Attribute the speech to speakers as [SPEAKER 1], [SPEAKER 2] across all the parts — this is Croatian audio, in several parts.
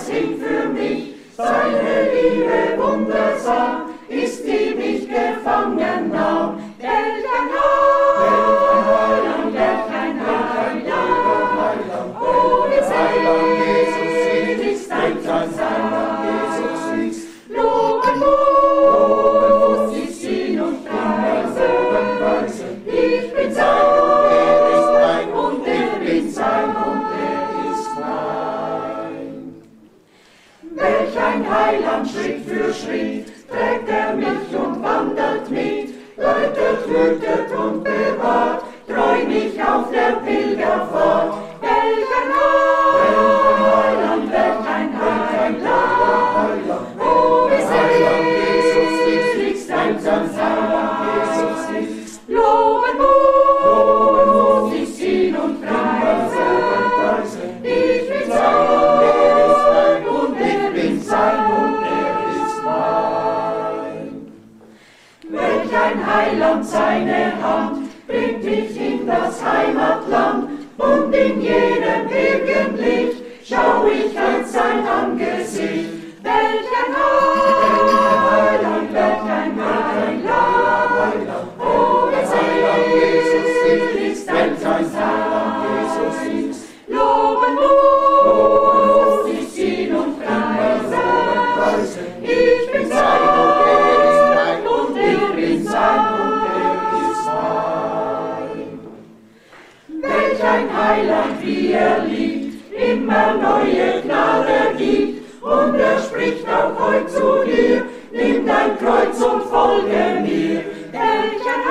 [SPEAKER 1] singt für mich, seine Liebe wundersam, ist die mich gefangen nahm. Welch ein Heiland, welch ein Heiland, oh, wie selig ist ein Jesus ist. Loben muss ich ihn und preisen, ich bin sein und er ist mein, und ich bin sein und er ist mein. Welch ein Heiland, Schritt für Schritt, trägt er mich und wandert mit, leitet, hütet und bewahrt, treu mich auf der Pilgerfahrt. Welch ein Heiland, welch ein Heiland, oh, wie selig ist ein Heiland, Jesus ist. Loben muss ich ihn und preisen, ich bin sein und er ist mein, und ich bin sein und er ist mein. Welch ein Heiland, seine Hand bringt mich in das Heimatland, und in jedem Birkenlicht schau ich einst sein Angesicht. Welch ein Heiland, welch ein Heiland, oh, wie selig ist ein Heiland, Jesus ist. Loben muss ich ihn und preisen, ich bin sein und er ist mein, und ich bin sein und er ist mein. Welch ein Heiland, wie er liebt, immer neue Gnade gibt, und er spricht auch heut zu dir, nimm dein Kreuz und folge mir. Welch ein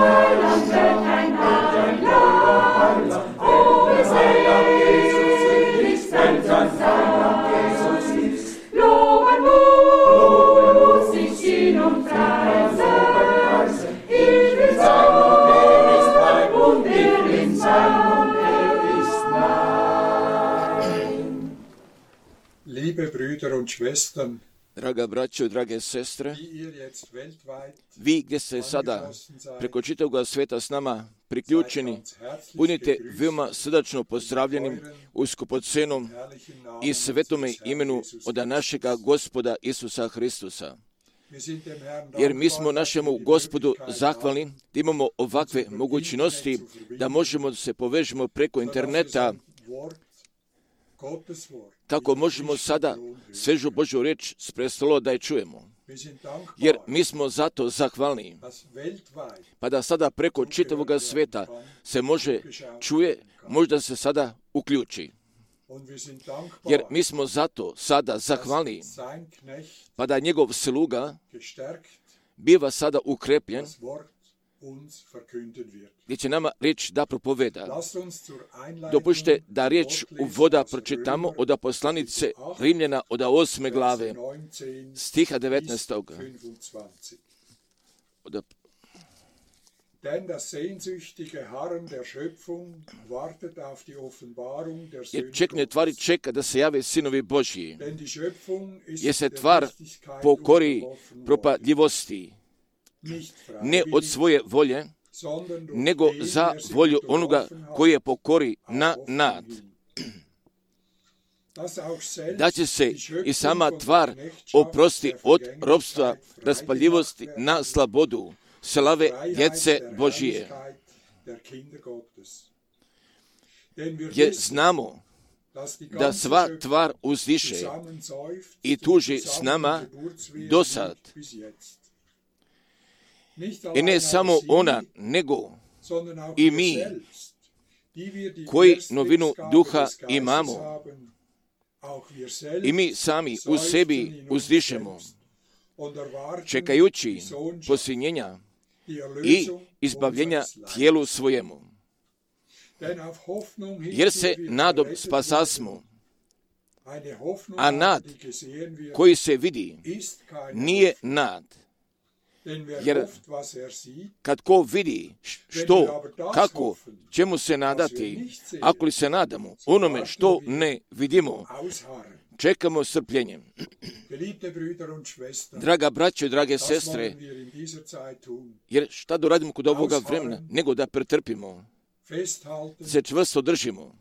[SPEAKER 1] Heiland, welch ein Heiland, oh, wie selig ist ein Heiland, Jesus ist. Loben muss ich ihn und preisen, ich will sein und er ist mein, und er bin sein und er ist mein.
[SPEAKER 2] Liebe Brüder und Schwestern,
[SPEAKER 3] Draga braćo, drage sestre, vi gdje ste sada preko čitavoga sveta s nama priključeni, budite veoma srdačno pozdravljenim u skupocenom i svetome imenu od našega Gospoda Isusa Hristusa. Jer mi smo našemu Gospodu zahvalni da imamo ovakve mogućnosti da možemo da se povežemo preko interneta, kako možemo sada svežu Božju reč s prestola da je čujemo. Jer mi smo zato zahvalni, pa da sada preko čitavoga sveta se može čuje, možda se sada uključi. Jer mi smo zato sada zahvalni, pa da njegov sluga biva sada ukrepljen, gdje će nama riječ da propoveda. Dopušte da riječ uvoda pročitamo od poslanice Rimljana od 8. glave, stiha 19. Jer čekne tvari čeka da se jave sinovi Božji, jer se tvar pokori propadljivosti, ne od svoje volje, nego za volju onoga koji je pokori na nad. Da će se i sama tvar oprosti od ropstva raspaljivosti na slobodu, slave djece Božije. Jer znamo da sva tvar uzdiše i tuži s nama do sad. I ne samo ona, nego i mi, koji novinu duha imamo, i mi sami u sebi uzdišemo, čekajući posljednjenja i izbavljenja tijelu svojemu. Jer se nadom spasasmo, a nad koji se vidi nije nad. Jer kad ko vidi što, kako, čemu se nadati, ako li se nadamo onome što ne vidimo, čekamo strpljenjem. Draga braćo i drage sestre, jer šta da radimo kod ovoga vremena, nego da pretrpimo, se čvrsto držimo.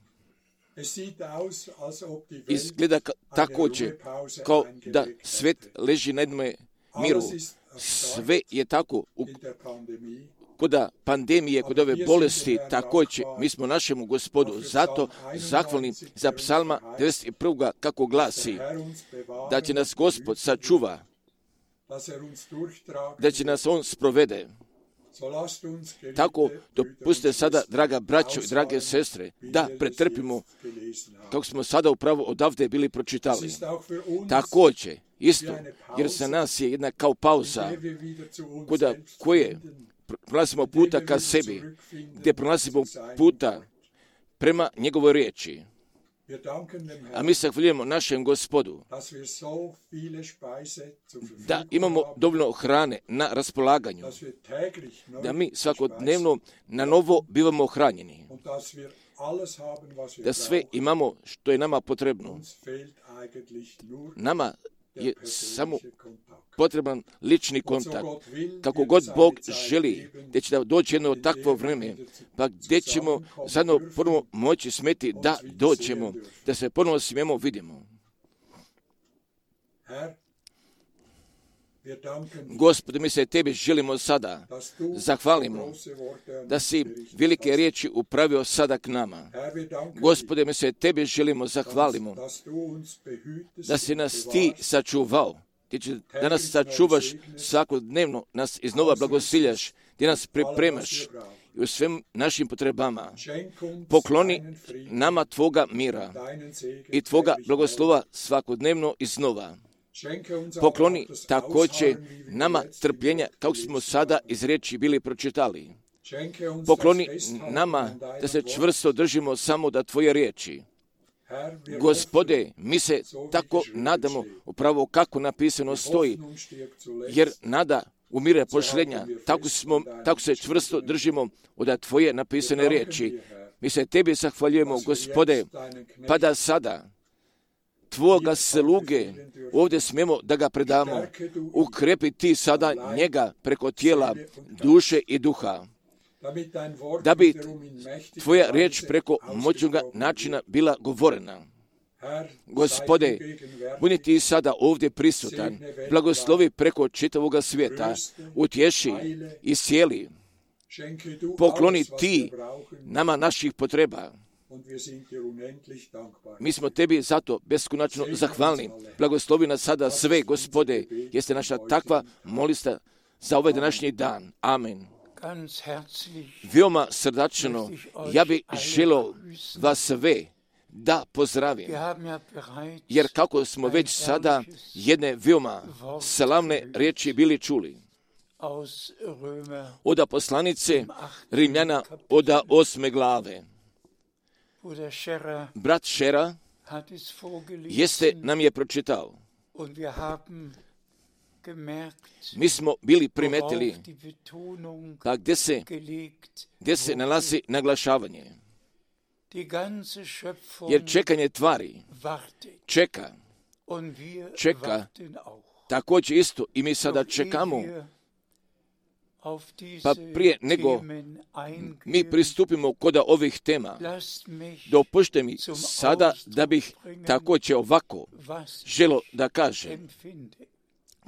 [SPEAKER 3] Izgleda također kao da svet leži na jednom miru. Sve je tako kod pandemije, kod ove bolesti, također mi smo našemu Gospodu zato zahvalni za psalma 91. kako glasi da će nas Gospod sačuva, da će nas On sprovede. Tako dopustite sada, draga braćo i drage sestre, da pretrpimo kako smo sada upravo odavde bili pročitali. Također, isto, jer za nas je jedna kao pauza koje pronalazimo puta ka sebi, gdje pronalazimo puta prema njegovoj riječi. A mi se zahvaljujemo našem Gospodu da imamo dovoljno hrane na raspolaganju, da mi svakodnevno na novo bivamo hranjeni, da sve imamo što je nama potrebno. Nama je samo potreban lični kontakt. Kako god Bog želi, gdje će da doći jedno takvo vrijeme, pa gdje ćemo zajedno ponovo moći smeti da doćemo, da se ponovo smijemo vidimo. Gospode, mi se Tebi želimo sada zahvalimo da si velike riječi upravio sada k nama. Gospode, mi se Tebi želimo zahvalimo da si nas Ti sačuvao, da nas sačuvaš svakodnevno, nas iznova blagosiljaš, gdje nas pripremaš i u svim našim potrebama. Pokloni nama Tvoga mira i Tvoga blagoslova svakodnevno iznova. Pokloni također nama trpljenja, kako smo sada iz riječi bili pročitali. Pokloni nama da se čvrsto držimo samo da Tvoje riječi. Gospode, mi se tako nadamo upravo kako napisano stoji, jer nada umire pošlenja, tako se čvrsto držimo od Tvoje napisane riječi. Mi se Tebi zahvaljujemo, Gospode, pa da sada Tvoga sluge ovdje smijemo da ga predamo. Ukrepi Ti sada njega preko tijela, duše i duha, da bi Tvoja riječ preko moćnoga načina bila govorena. Gospode, budi Ti sada ovdje prisutan, blagoslovi preko čitavoga svijeta, utješi i sjeli. Pokloni Ti nama naših potreba. Mi smo Tebi zato beskonačno zahvalni. Blagoslovi nas sada sve, Gospode, jeste naša takva molista za ovaj današnji dan. Amen. Veoma srdačno, ja bih želio vas sve da pozdravim, jer kako smo već sada jedne veoma slavne riječi bili čuli. Od poslanice Rimljana od 8. glave. Brat Šera nam je pročitao. Mi smo bili primetili pa gdje se nalazi naglašavanje. Jer čekanje tvari čeka također isto i mi sada čekamo. Pa prije nego mi pristupimo kod ovih tema, dopušte mi sada da bih također ovako želio da kažem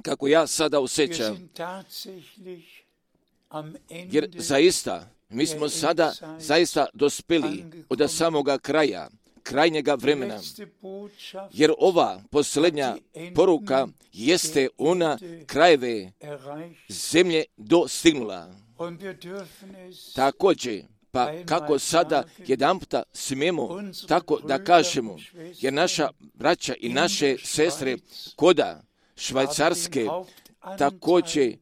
[SPEAKER 3] kako ja sada osjećam, jer zaista mi smo sada zaista dospeli od samoga kraja, krajnjega vremena, jer ova posljednja poruka jeste ona krajeve zemlje dostignula. Također, pa kako sada jedanputa smijemo tako da kažemo, jer naša braća i naše sestre koda Švajcarske također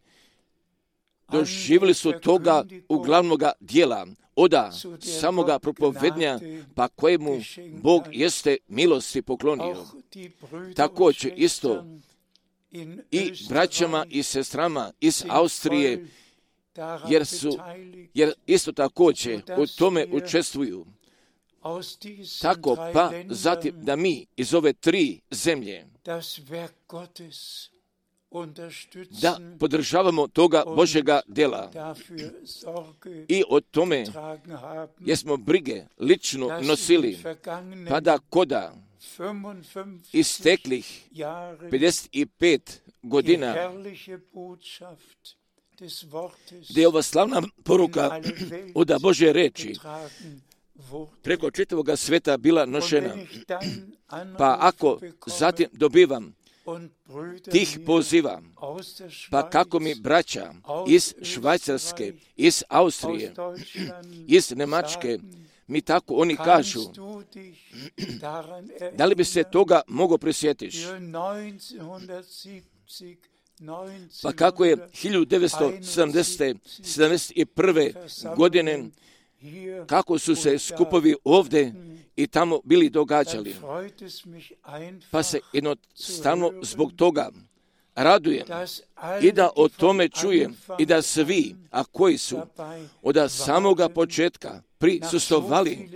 [SPEAKER 3] doživjeli su toga uglavnoga dijela, oda samoga propovednja, pa kojemu Bog jeste milosti poklonio. Također isto i braćama i sestrama iz Austrije, jer isto također u tome učestvuju. Tako pa zatim da mi iz ove 3 zemlje da podržavamo toga Božjega dela i o tome jesmo brige lično nosili, pa da koda isteklih 55 godina gdje je ova slavna poruka od Božje reči preko čitavoga sveta bila nošena. Pa ako zatim dobivam tih poziva, pa kako mi braća iz Švajcarske, iz Austrije, iz Njemačke, mi tako oni kažu, da li bi se toga mogao prisjetiš? Pa kako je 1971. godine, kako su se skupovi ovdje i tamo bili događali. Pa se jednostavno zbog toga radujem i da o tome čujem i da svi, a koji su od samoga početka prisustvovali,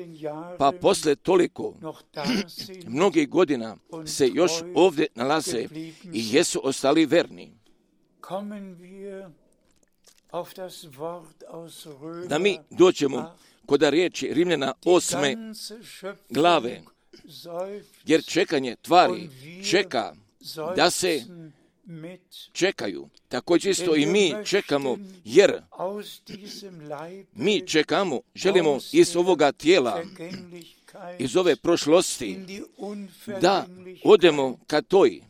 [SPEAKER 3] pa posle toliko mnogih godina se još ovdje nalaze i jesu ostali verni. Da mi dođemo kod riječi Rimljana 8. glave, jer čekanje tvari čeka da se čekaju. Također isto i mi čekamo, jer mi čekamo, želimo iz ovoga tijela, iz ove prošlosti, da odemo ka toj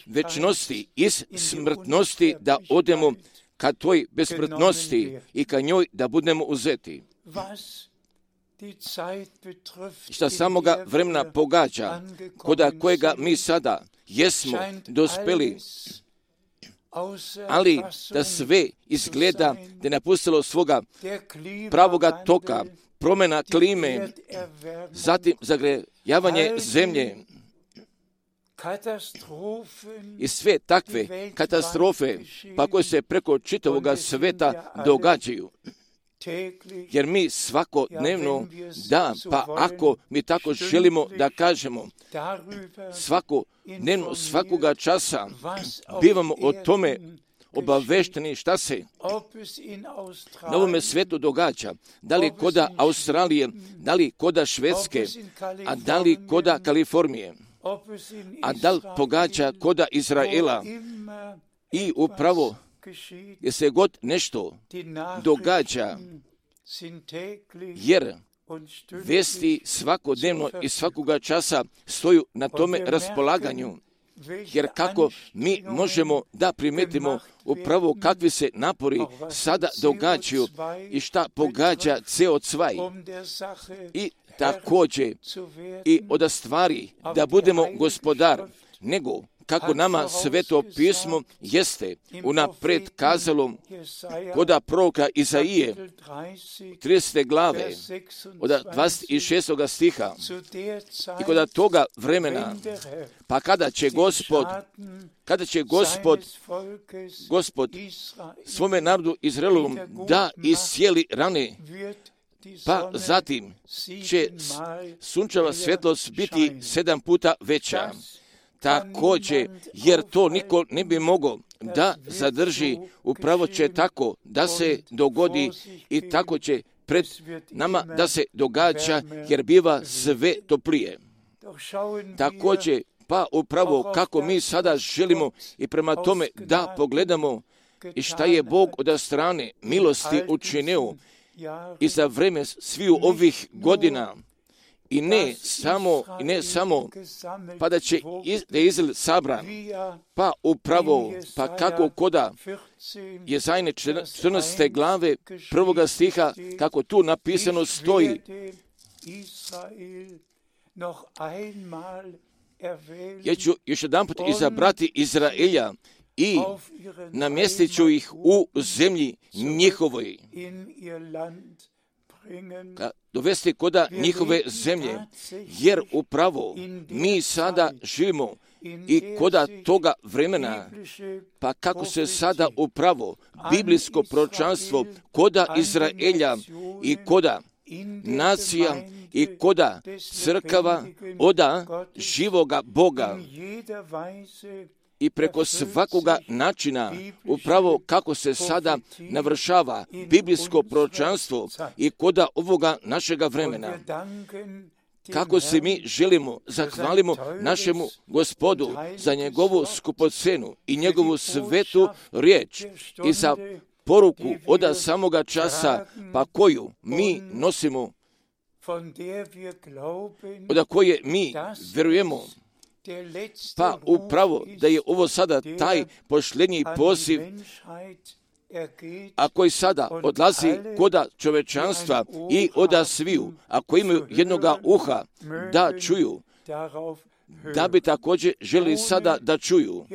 [SPEAKER 3] večnosti, iz smrtnosti, da odemo ka toj besmrtnosti i ka njoj da budemo uzeti. Šta samoga vremena pogađa, koda kojega mi sada jesmo dospeli, ali da sve izgleda da je napustilo svoga pravoga toka, promjena klime, zatim zagrejavanje zemlje i sve takve katastrofe, pa koje se preko čitavoga sveta događaju. Jer mi svakodnevno, pa ako mi tako želimo da kažemo, svakodnevno, svakoga časa bivamo o tome obavešteni šta se na ovome svetu događa, da li koda Australije, da li koda Švedske, a da li koda Kalifornije, a da li pogađa koda Izraela. I upravo je se god nešto događa, jer vesti svakodnevno i svakoga časa stoju na tome raspolaganju. Jer kako mi možemo da primetimo upravo kakvi se napori sada događaju i šta pogađa CO2 i također i od stvari da budemo gospodar, nego kako nama Sveto pismo jeste unapred kazalo koda proroka Izaije 30. glave od 26. stiha i koda toga vremena, pa kada će Gospod svome narodu Izraelu da iscijeli rane, pa zatim će sunčeva svjetlost biti 7 puta veća. Također, jer to niko ne bi mogao da zadrži, upravo će tako da se dogodi i tako će pred nama da se događa, jer biva sve toplije. Također, pa upravo kako mi sada želimo i prema tome da pogledamo i šta je Bog od strane milosti učinio i za vreme sviju ovih godina. I ne samo, pa da će Izrael sabran, pa upravo, pa kako koda Jezajne 14. glave 1. stiha, kako tu napisano stoji, ja ću još jedan put izabrati Izraelja i namjestit ću ih u zemlji njihovoj, dovesti koda njihove zemlje, jer upravo mi sada živimo i koda toga vremena, pa kako se sada upravo biblijsko proročanstvo koda Izraelja i koda nacija i koda crkava oda živoga Boga i preko svakoga načina, upravo kako se sada navršava biblijsko proročanstvo i koda ovoga našega vremena. Kako se mi želimo, zahvalimo našemu Gospodu za njegovu skupocenu i njegovu svetu riječ i za poruku od samoga časa, pa koju mi nosimo, od koje mi vjerujemo, pa upravo da je ovo sada taj posljednji poziv, a koji sada odlazi koda čovečanstva i oda sviju, ako imaju jednoga uha da čuju, da bi također želi sada da čuju.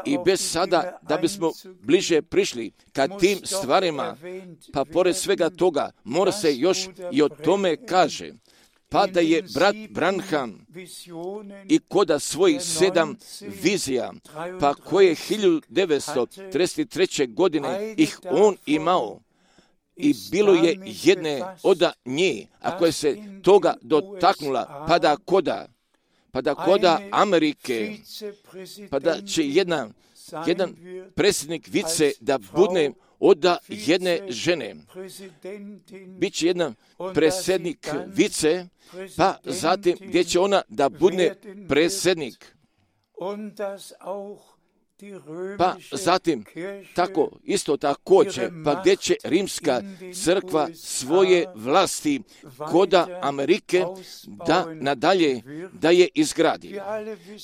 [SPEAKER 3] I bez sada da bismo bliže prišli ka tim stvarima, pa pored svega toga mora se još i o tome kaže, pa da je brat Branham i koda svojih 7 vizija, pa koje 1933. godine ih on imao, i bilo je jedne od nje, a koja se toga dotaknula, pa da koda Amerike, pa da će jedan predsjednik vice da bude od jedne žene. Biće jedan predsjednik vice, pa zatim gdje će ona da bude predsjednik. Pa zatim tako, isto također, pa gdje će rimska crkva svoje vlasti koda Amerike da nadalje da je izgradi.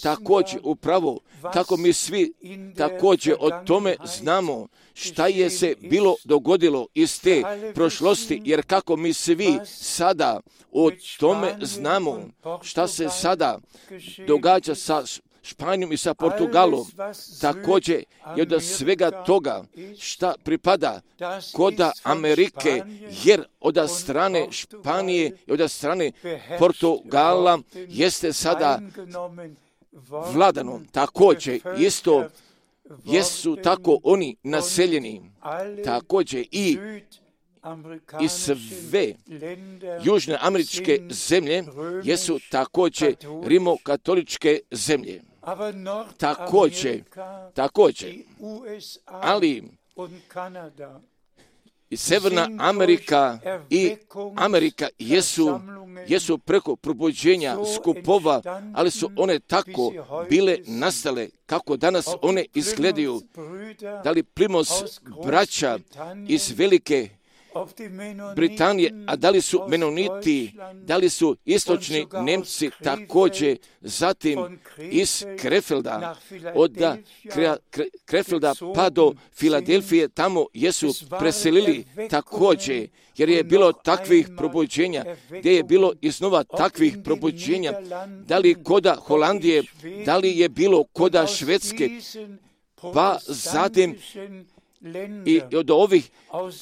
[SPEAKER 3] Također, upravo kako mi svi također o tome znamo šta je se bilo dogodilo iz te prošlosti, jer kako mi svi sada o tome znamo šta se sada događa sa Španijom i sa Portugalom, također je od svega toga šta pripada koda Amerike, jer od strane Španije i od strane Portugala jeste sada vladano. Također isto jesu tako oni naseljeni, također i sve južne američke zemlje jesu također rimokatoličke zemlje. Također, ali i Severna Amerika i Amerika jesu preko probuđenja skupova, ali su one tako bile nastale kako danas one izgledaju. Da li Plymouth braća iz Velike Britanije, a da li su Menoniti, da li su istočni Nemci također, zatim iz Krefelda, od Krefelda pa do Filadelfije, tamo jesu preselili također, jer je bilo takvih probuđenja, gdje je bilo iznova takvih probuđenja, da li koda Holandije, da li je bilo koda Švedske, pa zatim i od ovih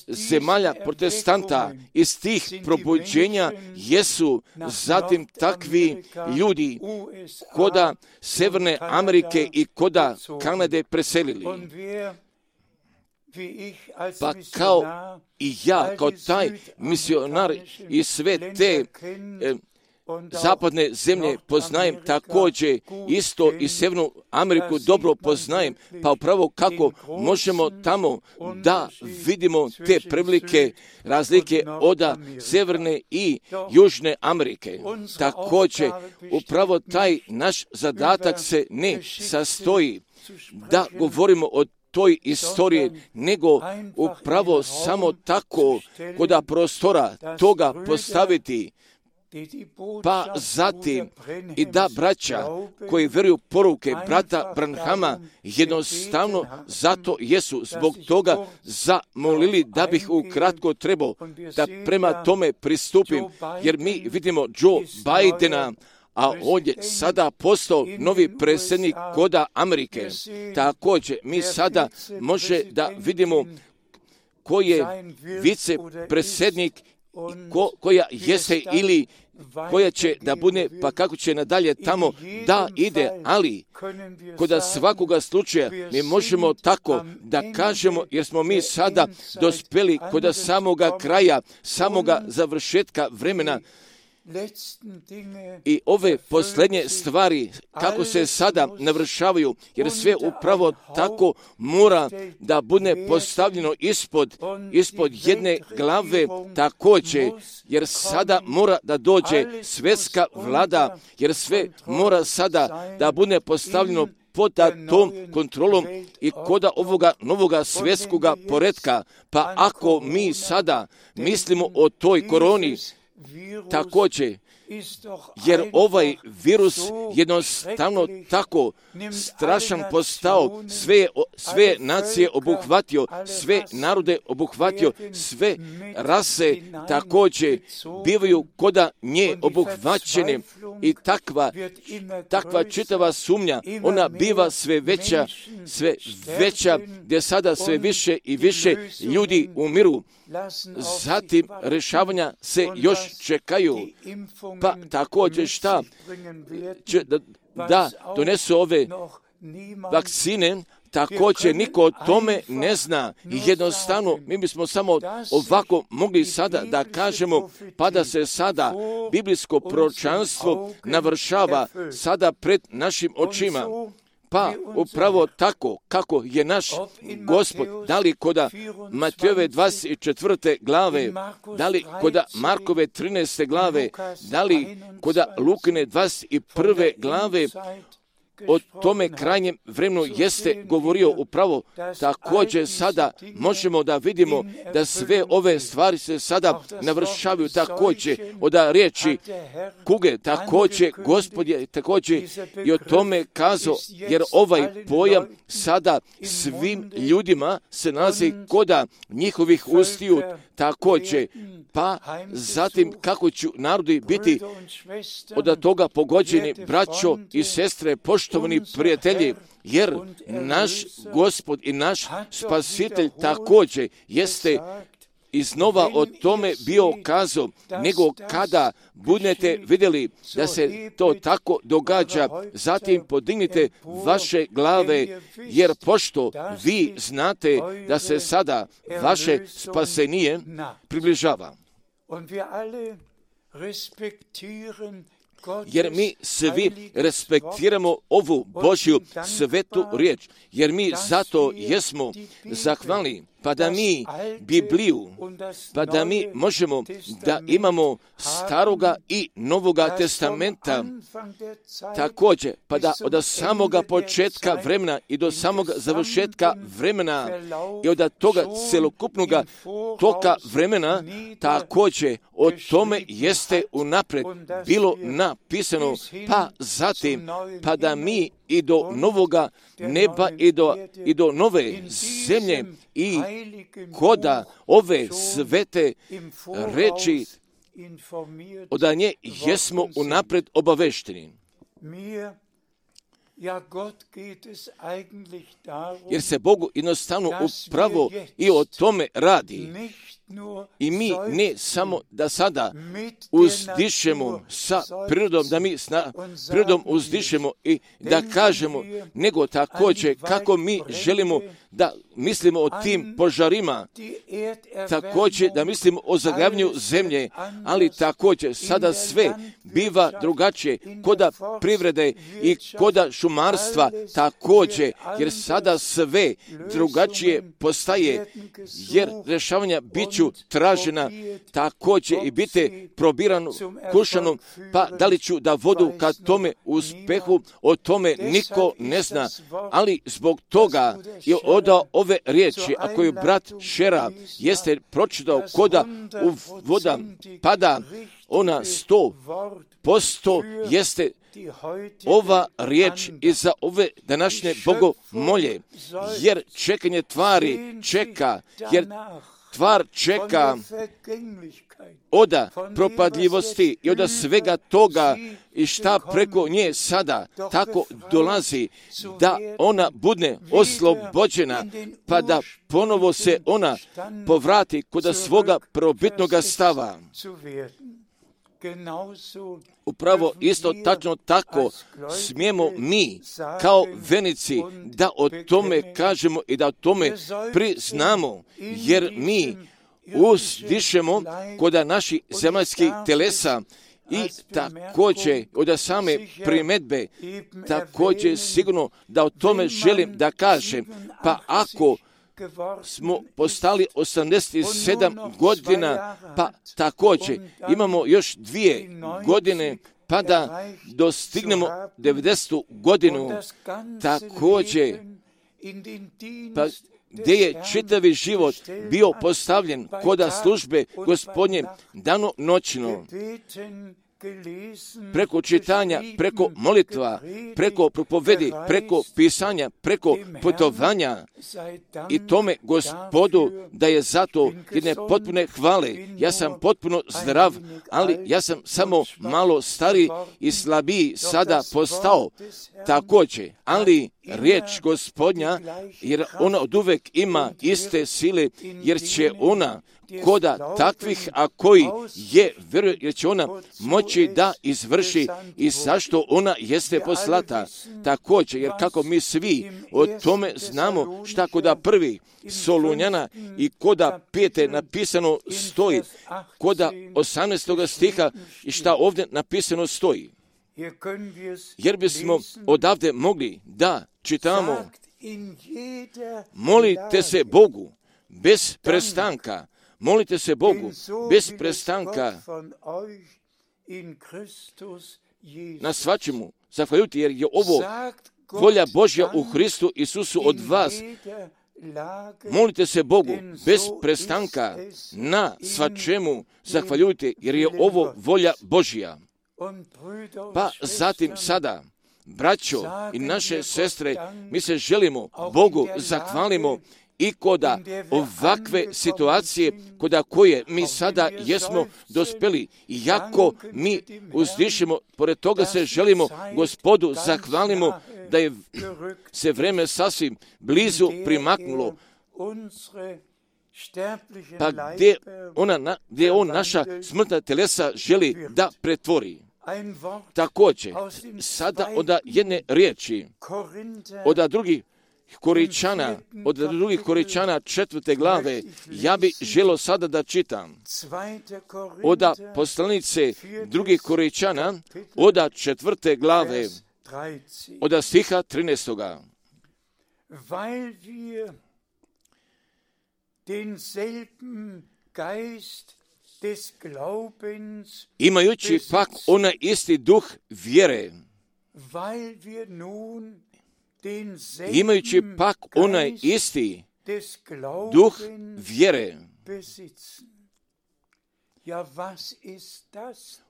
[SPEAKER 3] zemalja protestanta iz tih probuđenja jesu zatim takvi ljudi koda Severne Amerike i koda Kanade preselili. Pa kao i ja, kao taj misionar i sve te zapadne zemlje poznajem također, isto i Severnu Ameriku dobro poznajem, pa upravo kako možemo tamo da vidimo te prilike, razlike od Severne i Južne Amerike. Također, upravo taj naš zadatak se ne sastoji da govorimo o toj istoriji, nego upravo samo tako koda prostora toga postaviti, pa zatim i da braća koji vjeruju poruke brata Branhama jednostavno zato jesu zbog toga zamolili da bih ukratko trebao da prema tome pristupim, jer mi vidimo Joe Bidena, a on je sada postao novi predsjednik koda Amerike. Također mi sada može da vidimo ko je vicepredsjednik, koja jeste ili koja će da bude, pa kako će nadalje tamo da ide, ali kod svakoga slučaja mi možemo tako da kažemo, jer smo mi sada dospjeli kod samoga kraja, samoga završetka vremena, I ove posljednje stvari, kako se sada navršavaju, jer sve upravo tako mora da bude postavljeno ispod jedne glave također, jer sada mora da dođe svjetska vlada, jer sve mora sada da bude postavljeno pod tom kontrolom i kod ovoga novoga svjetskoga poretka. Pa ako mi sada mislimo o toj koroni, također, jer ovaj virus jednostavno tako strašan postao, sve nacije obuhvatio, sve narode obuhvatio, sve rase također bivaju koda nje obuhvaćene i takva čitava sumnja, ona biva sve veća, gdje sada sve više i više ljudi umiru. Zatim rješavanja se još čekaju, pa također šta će da donesu ove vakcine, također niko o tome ne zna. I jednostavno mi bismo samo ovako mogli sada da kažemo, pa da se sada biblijsko proročanstvo navršava sada pred našim očima. Pa upravo tako kako je naš Gospod, da li koda Matejove 24. glave, da li koda Markove 13. glave, da li koda Lukine 21. glave, o tome krajnjem vremenu jeste govorio upravo. Također sada možemo da vidimo da sve ove stvari se sada navršavaju također od riječi kuge. Također Gospod je također i o tome kazao, jer ovaj pojam sada svim ljudima se nalazi koda njihovih ustiju također. Pa zatim kako će narodi biti od toga pogođeni, braćo i sestre, poštovani prijatelji, jer naš Gospod i naš Spasitelj također jeste iznova o tome bio kazao, nego kada budete vidjeli da se to tako događa, zatim podignite vaše glave, jer pošto vi znate da se sada vaše spasenje približava. Jer mi svi respektiramo ovu Božju svetu riječ, jer mi zato jesmo zahvalni, pa da mi Bibliju, pa da mi možemo da imamo Staroga i Novoga testamenta, također, pa da od samoga početka vremena i do samog završetka vremena i od toga celokupnog toka vremena, također o tome jeste unapred bilo napisano, pa zatim, pa da mi i do novoga neba i do nove zemlje i koda ove svete reči od nje jesmo unapred obavešteni. Jer se Bogu jednostavno upravo i o tome radi. I mi ne samo da sada uzdišemo sa prirodom, da mi s prirodom uzdišemo i da kažemo, nego također kako mi želimo da mislimo o tim požarima, također da mislimo o zagravljanju zemlje, ali također sada sve biva drugačije koda privrede i koda šumarstva također, jer sada sve drugačije postaje, jer rješavanja biću tražena također i biti probirano, kušano, pa da li ću da vodu ka tome uspehu, o tome niko ne zna, ali zbog toga je odao ove riječi, ako je brat Šera jeste pročitao koda u voda pada, ona 100% jeste ova riječ iza ove današnje bogomolje, jer čekanje tvari čeka, jer tvar čeka od propadljivosti i od svega toga i šta preko nje sada tako dolazi, da ona bude oslobođena, pa da ponovo se ona povrati kod svoga prvobitnog stava. Upravo isto tačno tako smijemo mi kao vernici da o tome kažemo i da o tome priznamo, jer mi uzdišemo kod naših zemaljskih telesa I također od same primjedbe, također sigurno da o tome želim da kažem, pa ako smo postali 87 godina, pa također imamo još 2 godine, pa da dostignemo 90. godinu, također, pa gdje je čitavi život bio postavljen koda službe Gospodnje dano noćno, preko čitanja, preko molitva, preko propovedi, preko pisanja, preko putovanja i tome Gospodu da je zato jedne potpune hvale. Ja sam potpuno zdrav, ali ja sam samo malo stariji i slabiji sada postao također, ali riječ Gospodnja, jer ona od uvek ima iste sile, jer će ona koda takvih, a koji je vjeruje, jer će ona moći da izvrši i zašto ona jeste poslata. Također, jer kako mi svi o tome znamo šta koda prvi Solunjana i koda 5. napisano stoji, koda 18. stiha i šta ovdje napisano stoji. Jer bismo odavde mogli da čitamo, molite se Bogu bez prestanka, molite se Bogu bez prestanka na svačemu zahvaljujući, jer je ovo volja Božja u Hristu Isusu od vas. Molite se Bogu bez prestanka na svačemu zahvaljujte, jer je ovo volja Božja. Pa zatim sada, braćo i naše sestre, mi se želimo Bogu zahvalimo i koda ovakve situacije koda koje mi sada jesmo dospeli, iako mi uzdišemo, pored toga se želimo Gospodu zahvalimo da je se vreme sasvim blizu primaknulo, pa gdje on naša smrtna telesa želi da pretvori. Također, sada od jedne riječi, od drugih Koričana, od drugih Koričana 4. glave, ja bi želio sada da čitam. Od poslanice drugih Koričana, od 4. glave, od stiha 13.
[SPEAKER 1] Weil wir denselben Geist des Glaubens,
[SPEAKER 3] imajući pak onaj isti duh vjere,
[SPEAKER 1] weil wir nun
[SPEAKER 3] imajući pak onaj isti duh vjere.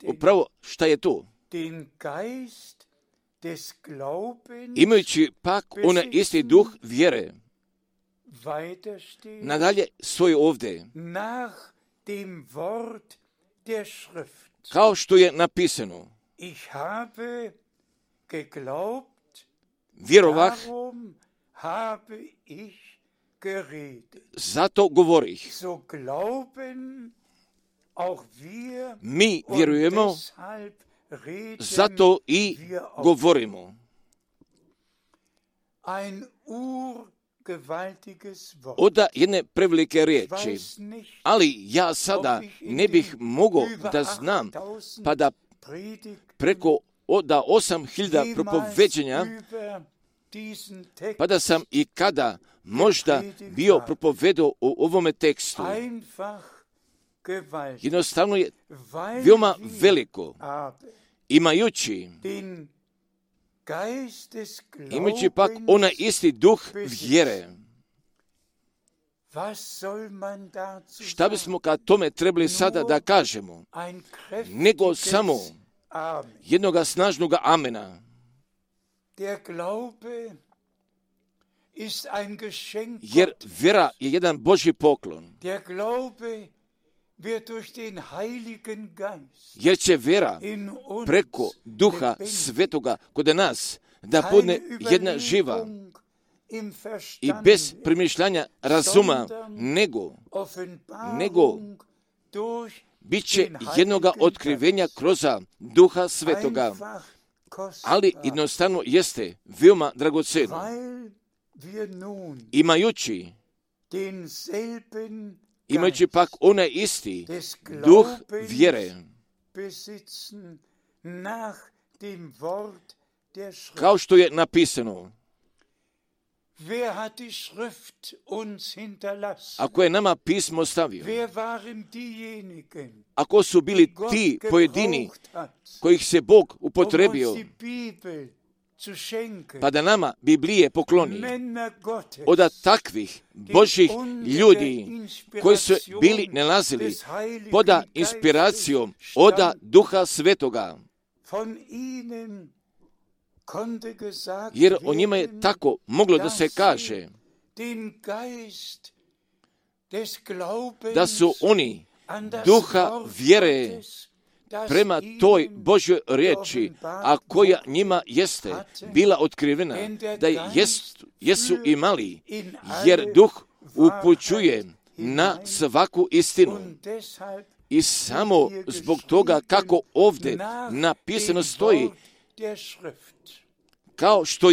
[SPEAKER 3] Upravo šta je to? Imajući pak onaj isti duh vjere. Nadalje stoji ovdje, kao što je napisano, vjerovah, zato govorih. Mi vjerujemo, zato i govorimo. Od jedne prevelike riječi, ali ja sada ne bih mogao da znam, pa da preko od 8.000 propoveđenja, pa da sam i kada možda bio propovedao o ovome tekstu. Jednostavno je veoma veliko, imajući pak onaj isti duh vjere. Šta bismo kad tome trebali sada da kažemo? Nego samo jednoga snažnoga amena. Jer vjera je jedan Božji poklon. Jer će vjera preko Duha Svetoga kod nas da bude jedna živa i bez premišljanja razuma, nego bit će jednoga otkrivenja kroz Duha Svetoga, ali jednostavno jeste veoma dragoceno. Imajući pak onaj isti duh vjere, kao što je napisano. Ako je nama pismo ostavio, ako su bili ti pojedini kojih se Bog upotrebio, pa da nama Biblije pokloni, od takvih Božih ljudi koji su bili nalazili pod inspiracijom od Duha Svetoga, jer o njima je tako moglo da se kaže da su oni duha vjere prema toj Božjoj riječi, a koja njima jeste bila otkrivena, da jesu imali, jer duh upućuje na svaku istinu. I samo zbog toga kako ovdje napisano stoji, kao što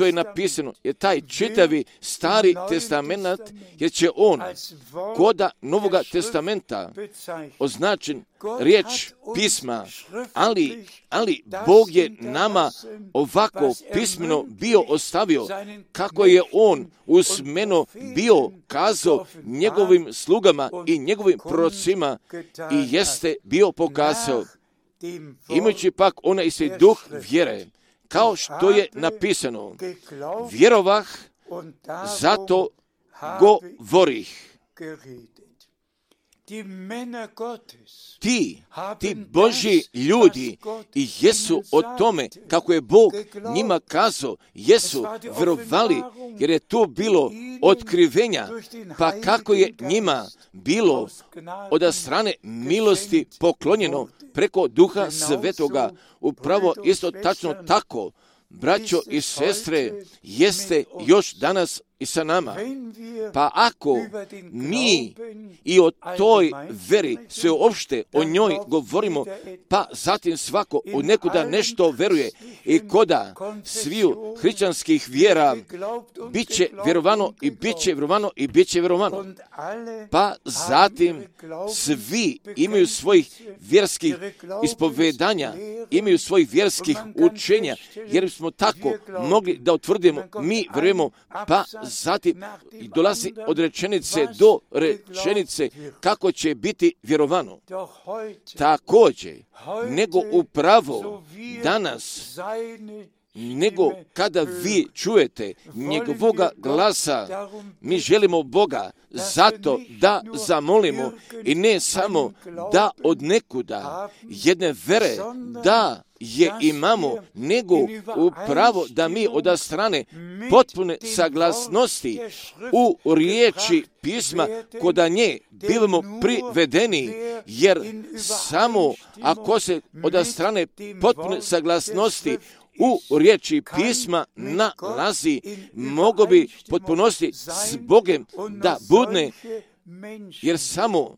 [SPEAKER 3] je napisano, je taj čitavi Stari testament, jer će on koda Novoga testamenta označen riječ pisma, ali Bog je nama ovako pismeno bio ostavio, kako je on usmeno bio kazao njegovim slugama i njegovim prorocima i jeste bio pokazao, imajući pak onaj isti duh vjere, kao što je napisano, vjerovah, zato govorih. Ti Božji ljudi i jesu o tome, kako je Bog njima kazao, jesu vjerovali, jer je to bilo otkrivenja, pa kako je njima bilo od strane milosti poklonjeno preko Duha Svetoga, upravo isto tačno tako, braćo i sestre, jeste još danas i sa nama. Pa ako mi i o toj veri sve uopšte o njoj govorimo, pa zatim svako od nekuda nešto veruje i koda sviju hrišćanskih vjera bit će vjerovano i bit će vjerovano i bit će vjerovano. Pa zatim svi imaju svojih vjerskih ispovedanja, imaju svojih vjerskih učenja, jer smo tako mogli da utvrdimo, mi vjerujemo, pa zatim dolazi od rečenice do rečenice kako će biti vjerovano. Također, nego upravo danas, nego kada vi čujete njegovoga glasa, mi želimo Boga zato da zamolimo i ne samo da od nekuda jedne vere da je imamo, nego upravo da mi od strane potpune saglasnosti u riječi pisma koda nje bivamo privedeni, jer samo ako se od strane potpune saglasnosti u riječi pisma nalazi, mogo bi potpunosti s Bogem da budne, jer samo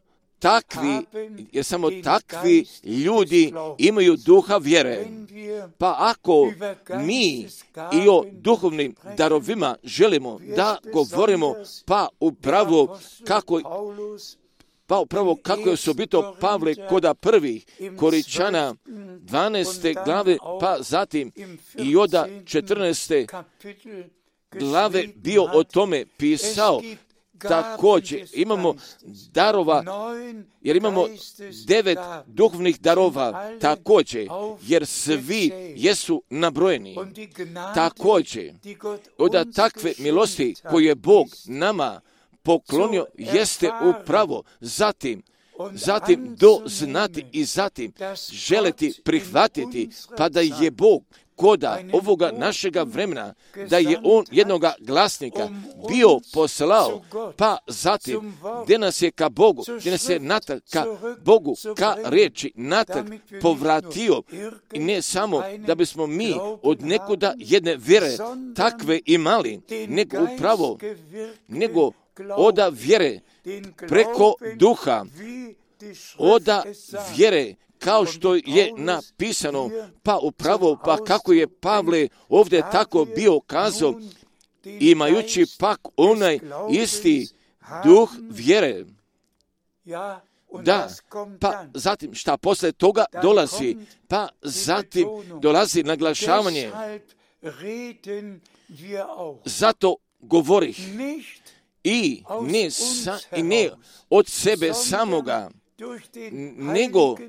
[SPEAKER 3] takvi ljudi imaju duha vjere. Pa ako mi i o duhovnim darovima želimo da govorimo, pa upravo kako je osobito Pavle koda prvih Koričana 12. glave, pa zatim i od 14. glave bio o tome pisao. Također imamo darova, jer imamo 9 duhovnih darova, također, jer svi jesu nabrojeni. Također, od takve milosti koje je Bog nama poklonio jeste upravo zatim doznati i zatim želiti prihvatiti, pa da je Bog koda ovoga našega vremena, da je on jednoga glasnika bio poslao, pa zatim gdje nas je ka Bogu, gdje nas je natrag ka Bogu, ka riječi natrag povratio, i ne samo da bismo mi od nekuda jedne vjere takve imali, nego upravo, nego oda vjere preko duha, oda vjere kao što je napisano, pa upravo, pa kako je Pavle ovdje tako bio kazao, imajući pak onaj isti duh vjere. Da, pa zatim šta posle toga dolazi? Pa zatim dolazi naglašavanje. Zato govorih i ne od sebe samoga,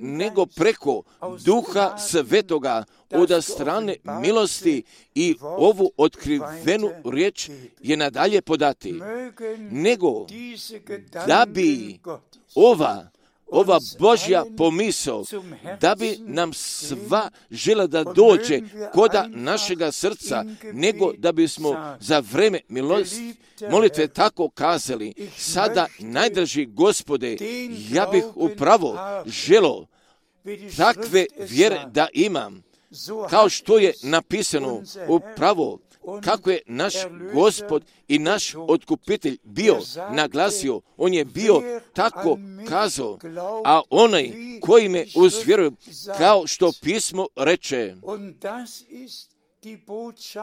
[SPEAKER 3] nego preko Duha Svetoga od strane milosti i ovu otkrivenu riječ je nadalje podati. Nego da bi ova Božja pomisao, da bi nam sva žela da dođe koda našega srca, nego da bismo za vreme molitve tako kazali, sada najdraži Gospode, ja bih upravo želo takve vjere da imam, kao što je napisano upravo kako je naš Gospod i naš otkupitelj bio naglasio, on je bio tako kazao, a onaj koji me uzvjeruje, kao što pismo reče,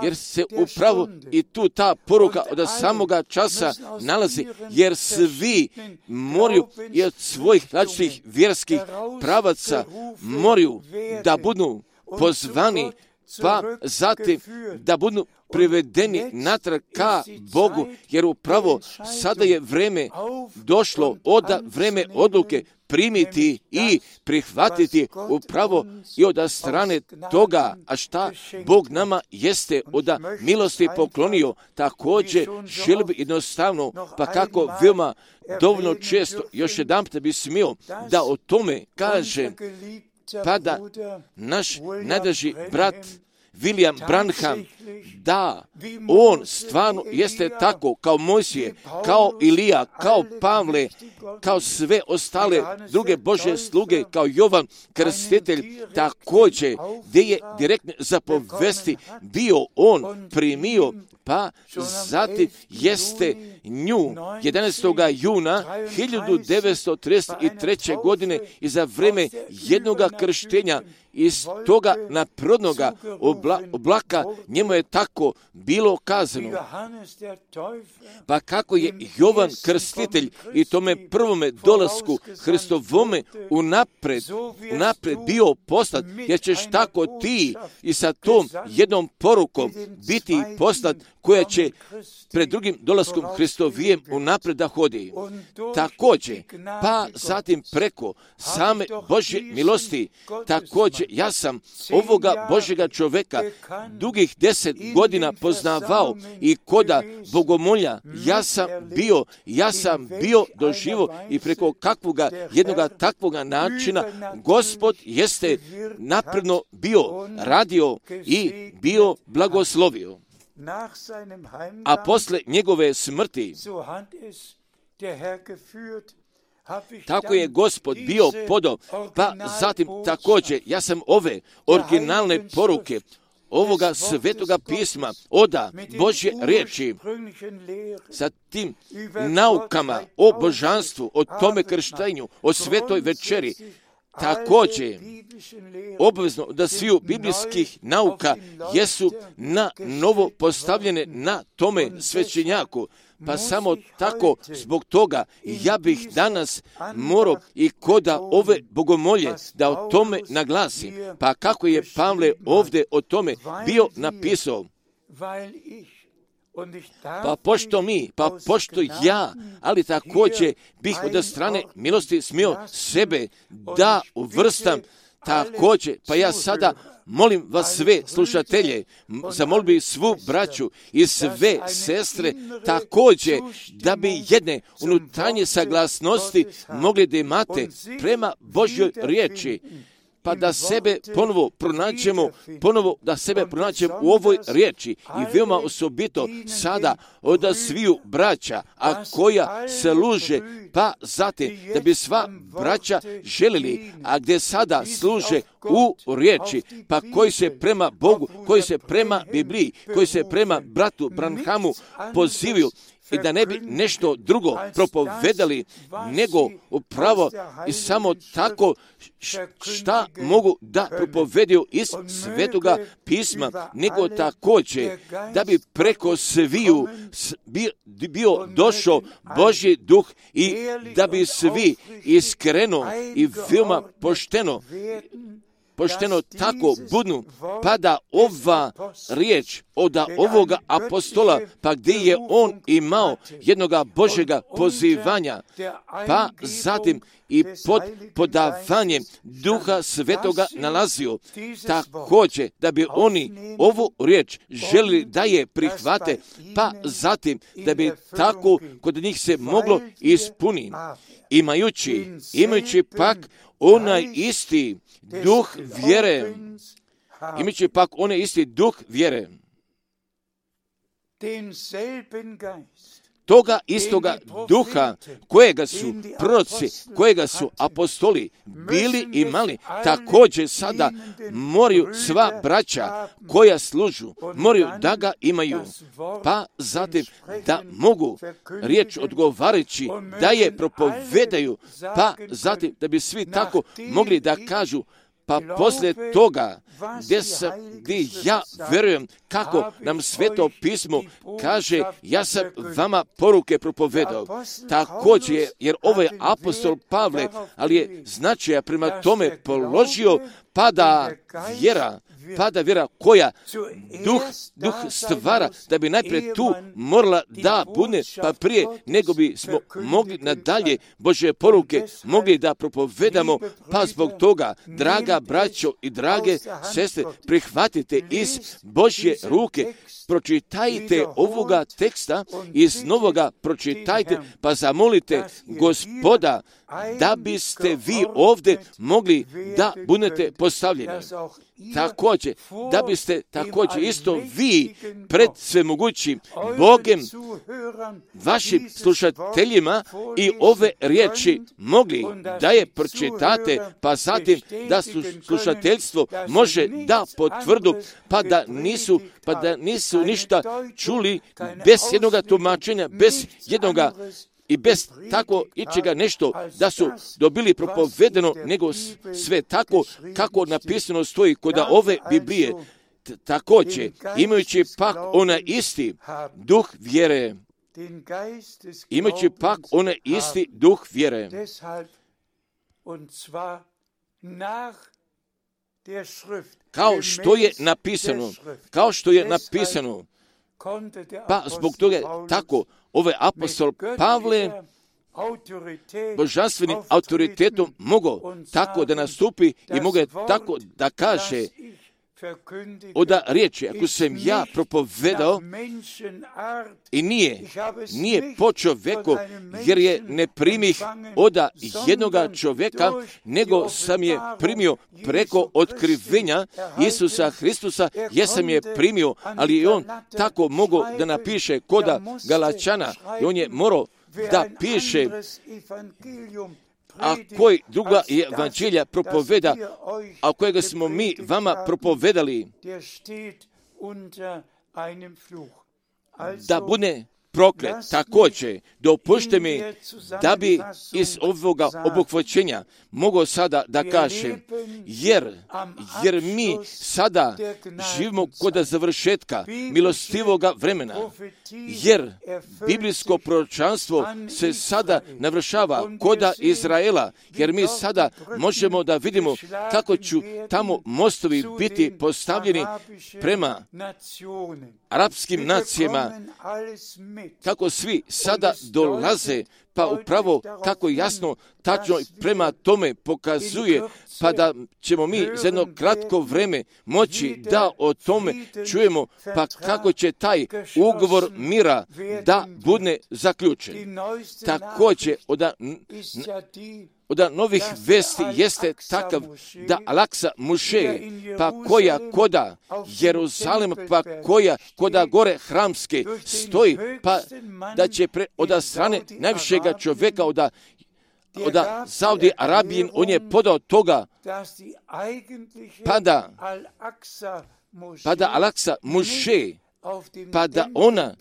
[SPEAKER 3] jer se upravo i tu ta poruka od samoga časa nalazi, jer svi moraju i od svojih različitih vjerskih pravaca moraju da budu pozvani, pa zatim da budu privedeni natrag ka Bogu, jer upravo sada je vreme došlo vreme odluke primiti i prihvatiti upravo i od strane toga, a šta Bog nama jeste od milosti poklonio, također želi bi jednostavno, pa kako veoma dovoljno često, još jedanput bi smio da o tome kaže, pa da naš najdraži brat William Branham, da on stvarno jeste tako kao Mojsije, kao Ilija, kao Pavle, kao sve ostale druge Božje sluge, kao Jovan Krstitelj, također gdje je direktno zapovesti bio on primio, pa zatim jeste nju 11. juna 1933. godine i za vreme jednoga krštenja iz toga naprodnoga oblaka njemu je tako bilo kazano. Pa kako je Jovan Krstitelj i tome prvome dolasku Hristovome unapred bio poslat, jer ćeš tako ti i sa tom jednom porukom biti poslat koja će pred drugim dolaskom Hristovijem unapred da hodi. Također, pa zatim preko same Božje milosti, također ja sam ovoga Božjega čovjeka dugih 10 godina poznavao i koda bogomolja ja sam bio doživo i preko kakvoga jednoga takvoga načina Gospod jeste napredno bio radio i bio blagoslovio. A posle njegove smrti, tako je Gospod bio podao, pa zatim također ja sam ove originalne poruke ovoga svetoga pisma, oda Božje riječi, sa tim naukama o božanstvu, o tome krštenju, o svetoj večeri, također obvezno da sviju biblijskih nauka jesu na novo postavljene na tome svećenjaku. Pa samo tako zbog toga ja bih danas morao i koda ove bogomolje da o tome naglasi. Pa kako je Pavle ovdje o tome bio napisao. Pa pošto ja, ali također bih od strane milosti smio sebe da uvrstam također, pa ja sada molim vas sve slušatelje, zamolio bih svu braću i sve sestre također da bi jedne unutarnje saglasnosti mogli da imate prema Božjoj riječi, pa da sebe ponovo pronađemo u ovoj riječi i veoma osobito sada od sviju braća, a koja se služe, pa zatim da bi sva braća želili, a gdje sada služe u riječi, pa koji se prema Bogu, koji se prema Bibliji, koji se prema bratu Branhamu pozivaju i da ne bi nešto drugo propovedali, nego upravo i samo tako šta mogu da propovedaju iz Svetoga pisma, nego također da bi preko sviju bio došao Božji duh i da bi svi iskreno i veoma pošteno tako budnu, pa da ova riječ od ovoga apostola, pa gdje je on imao jednoga Božjega pozivanja, pa zatim i pod podavanjem Duha Svetoga nalazio, također da bi oni ovu riječ želili da je prihvate, pa zatim da bi tako kod njih se moglo ispuniti, imajući pak onaj isti duh vjere, imajući pak onaj isti duh vjere, toga istoga duha kojega su proroci, kojega su apostoli bili imali, također sada moraju sva braća koja služu, moraju da ga imaju, pa zatim da mogu riječ odgovarajući da je propovedaju, pa zatim da bi svi tako mogli da kažu, pa poslije toga gdje ja verujem kako nam Sveto pismo kaže, ja sam vama poruke propovedao. Također, jer ovaj apostol Pavle, ali je značaja prema tome položio, pada vjera koja duh stvara, da bi najprije tu morala da bude, pa prije nego bi smo mogli nadalje Božje poruke mogli da propovedamo, pa zbog toga, draga braćo i drage sestre, prihvatite iz Božje ruke, pročitajte ovoga teksta, iz novoga pročitajte, pa zamolite Gospoda da biste vi ovdje mogli da budete postavljeni. Također, da biste također isto vi pred svemogućim Bogem, vašim slušateljima i ove riječi mogli da je pročitate, pa zatim da slušateljstvo može da potvrdu, pa da nisu ništa čuli bez jednoga tumačenja, bez jednoga i bez tako ičega nešto da su dobili propovedeno, nego sve tako kako napisano stoji kod ove Biblije. Također, imajući pak onaj isti duh vjere, kao što je napisano, pa zbog toga tako ovaj apostol Pavle božanstvenim autoritetom mogao tako da nastupi i mogao tako da kaže oda riječi, ako sam ja propovedao i nije po čovjeku, jer je ne primih oda jednoga čovjeka, nego sam je primio preko otkrivenja Isusa Hristusa, jer sam je primio, ali i on tako mogao da napiše koda Galačana i on je morao da piše, a koji druga evanđelja propoveda, a kojega smo mi vama propovedali, da bude proklet. Također, dopušte mi da bi iz ovoga obuhvaćenja mogao sada da kažem, jer mi sada živimo kod završetka milostivoga vremena, jer biblijsko proročanstvo se sada navršava kod Izraela, jer mi sada možemo da vidimo kako će tamo mostovi biti postavljeni prema arapskim nacijama, kako svi sada dolaze, pa upravo kako jasno, tačno prema tome pokazuje, pa da ćemo mi za jedno kratko vreme moći da o tome čujemo, pa kako će taj ugovor mira da bude zaključen. Također, od novih vesti jeste takav da Al-Aksa Muše, pa koja koda Jeruzalem, pa koja koda gore hramske stoji, pa da će od strane najvišega čovjeka od Saudi Arabije, on je podao toga, pa da Al-Aksa Muše, pa da ona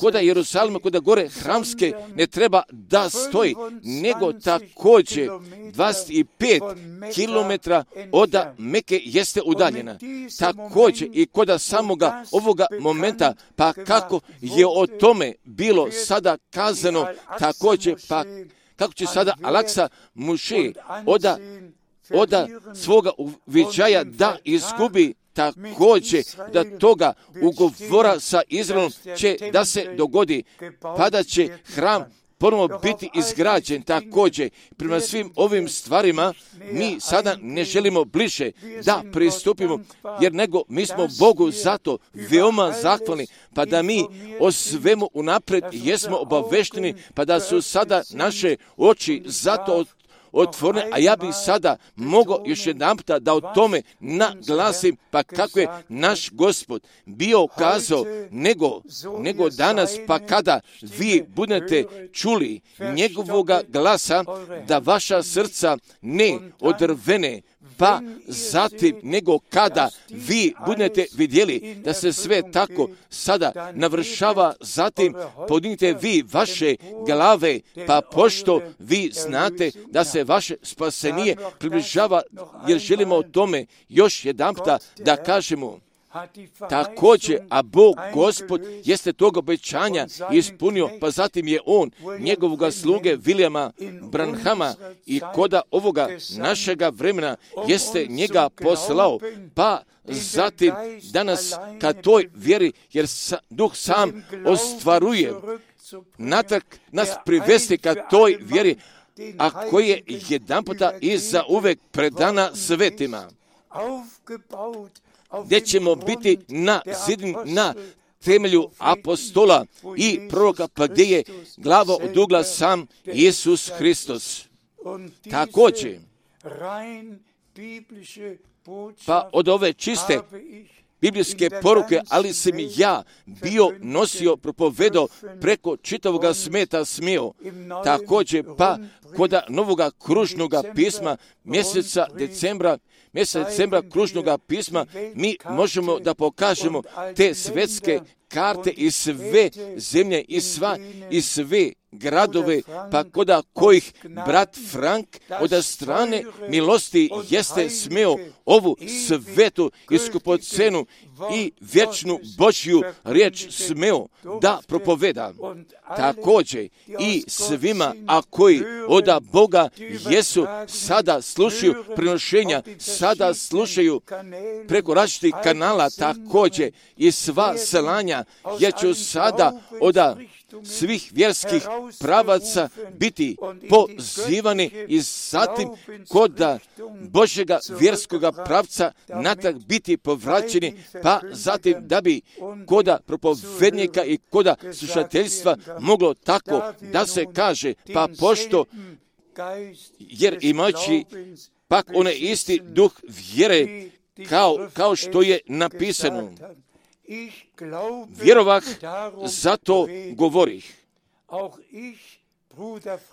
[SPEAKER 3] koda Jerusalima, koda gore hramske ne treba da stoji, nego također 25 kilometra od Meke jeste udaljena. Također i koda samoga ovoga momenta, pa kako je o tome bilo sada kazano, također pa kako će sada Al-Aksa Muše oda svoga uviđaja da izgubi, također da toga ugovora sa Izraelom će da se dogodi, pa da će hram ponovno biti izgrađen. Također, prema svim ovim stvarima, mi sada ne želimo bliže da pristupimo, jer nego mi smo Bogu zato veoma zahvalni, pa da mi o svemu unaprijed jesmo obavešteni, pa da su sada naše oči zato otvorene, a ja bih sada mogao još jedanputa da o tome naglasim, pa kako je naš Gospod bio kazao, nego danas, pa kada vi budete čuli njegovoga glasa, da vaša srca ne odrvene, pa zatim nego kada vi budete vidjeli da se sve tako sada navršava, zatim podignite vi vaše glave, pa pošto vi znate da se vaše spasenije približava, jer želimo o tome još jedanputa da kažemo. Također, a Bog Gospod jeste tog obećanja ispunio, pa zatim je on njegovoga sluge Vilijama Branhama i koda ovoga našega vremena jeste njega poslao, pa zatim danas ka toj vjeri, jer Duh sam ostvaruje natrag nas privesti ka toj vjeri, a koji je jedanputa i za uvek predana svetima, gdje ćemo biti na temelju apostola i proroka, pa gdje je glava od ugla sam Isus Hristos. Također, pa od ove čiste biblijske poruke, ali sam ja bio nosio, propovedao preko čitavoga sveta smio. Također, pa koda novoga kružnoga pisma mjeseca decembra kružnoga pisma, mi možemo da pokažemo te svetske karte i sve zemlje i sve gradove, pa koda kojih brat Frank od strane milosti jeste smeo ovu svetu i skupocenu i vječnu Božju riječ smeo da propoveda. Također i svima, a koji od Boga jesu, sada slušaju prenošenja, sada slušaju preko različitih kanala, također i sva selanja, jer ću sada od svih vjerskih pravaca biti pozivani i zatim kod Božjega vjerskoga pravca natrag biti povraćeni, pa zatim da bi koda propovednika i koda slušateljstva moglo tako da se kaže, pa pošto, jer imajući pak onaj isti duh vjere, kao što je napisano, vjerovah, zato govorih.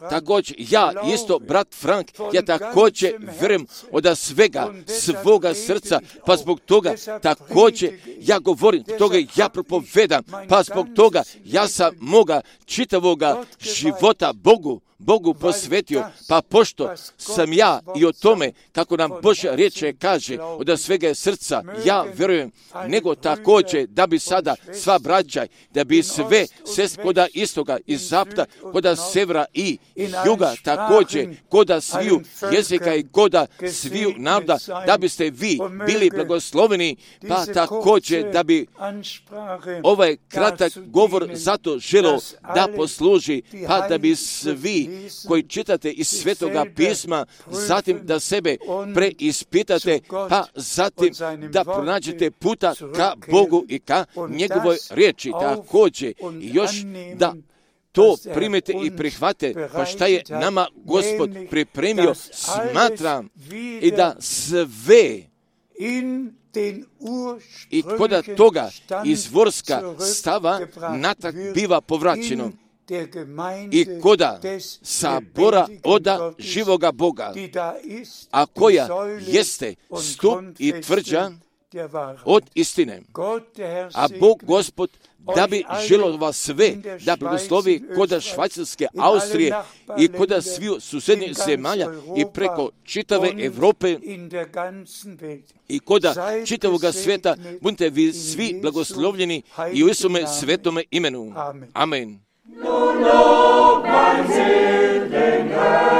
[SPEAKER 3] Također, ja isto, brat Frank, ja također vjerujem od svega svoga srca, pa zbog toga također ja govorim, toga ja propovedam, pa zbog toga ja sam moga čitavoga života Bogu posvetio, pa pošto sam ja i o tome, kako nam Božja riječ kaže, od svega srca ja vjerujem, nego također da bi sada sva braća, da bi sve koda istoga i zapada, koda severa i juga, također koda sviju jezika i koda sviju naroda, da biste vi bili blagosloveni, pa također da bi ovaj kratak govor zato želio da posluži, pa da bi svi koji čitate iz Svetoga pisma, zatim da sebe preispitate, pa zatim da pronađete puta ka Bogu i ka njegovoj riječi. Također još da to primete i prihvate, pa šta je nama Gospod pripremio, smatram i da sve i koda toga izvorska stava natrag biva povraćeno i koda sabora oda živoga Boga, a koja jeste stup i tvrđa od istine. A Bog Gospod da bi želo vas sve da blagoslovi kod Švajcarske, Austrije i kod svih susednih zemalja i preko čitave Evrope i kod čitavog svijeta. Budite vi svi blagoslovljeni i u Isome svetome imenu. Amen.
[SPEAKER 1] Nun lob mein Seelen